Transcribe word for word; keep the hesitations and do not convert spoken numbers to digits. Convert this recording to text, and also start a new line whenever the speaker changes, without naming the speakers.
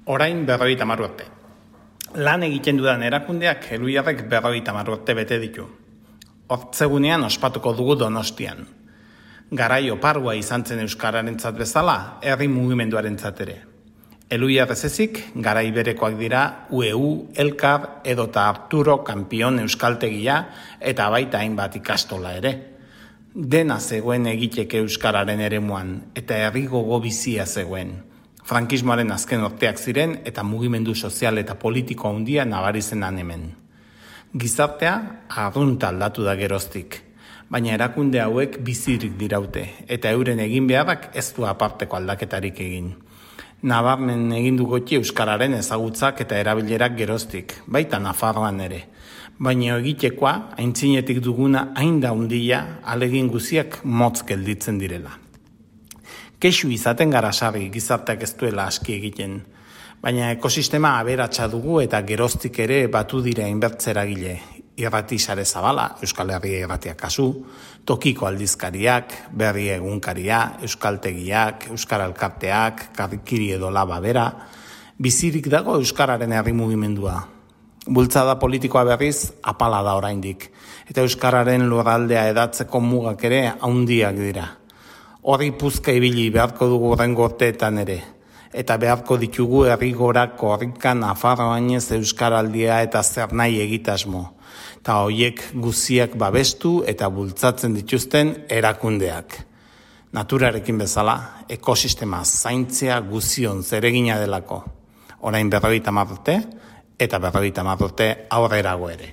Orain berrogeita hamar urte. Lan egiten dudan erakundeak Elhuyarrek berrogeita hamar urte bete ditu. Hortzegunean ospatuko dugu Donostian. Garai oparua izan zen euskararentzat bezala, herri mugimenduarentzat ere. Elhuyar ez ezik, garai berekoak dira U E U, Elkar edota Arturo Kanpion euskaltegia eta baita hainbat ikastola ere. Dena zegoen egiteke euskararen eremuan eta herri gogo bizia zegoen. Frankismoaren azken urteak ziren eta mugimendu sozial eta politiko handia nabari zenan hemen. Gizartea arrunt aldatu da geroztik, baina erakunde hauek bizirik diraute eta euren egin beharrak ez du aparteko aldaketarik egin. Nabarmen egin du goti euskararen ezagutzak eta erabilerak geroztik, baita Nafarroan ere. Baina egitekoa, aintzinetik duguna hain da handia, alegin guziak motz gelditzen direla. Kexu izaten gara sarri gizarteak ez duela aski egiten, baina ekosistema aberatsa dugu eta geroztik ere batu dira inbertzeragile. Irrati sare zabala, Euskal Herria irratiak kasu, tokiko aldizkariak, berri egunkaria, euskaltegiak, euskara elkarteak, karrikiri edo laba bera, bizirik dago euskararen herri mugimendua. Bultzada politikoa berriz apala da oraindik, eta euskararen lurraldea edatzeko mugak ere handiak dira. Horri puzka ibili beharko dugu horrengo urteetan ere, eta beharko ditugu herrigorak korrika Nafarroainez euskaraldia eta zer nahi egitasmo, eta horiek guziak babestu eta bultzatzen dituzten erakundeak. Naturarekin bezala, ekosistema zaintzea guzion zeregina delako. Orain berrogeita hamar urte, eta berrogeita hamar urte aurrerago ere.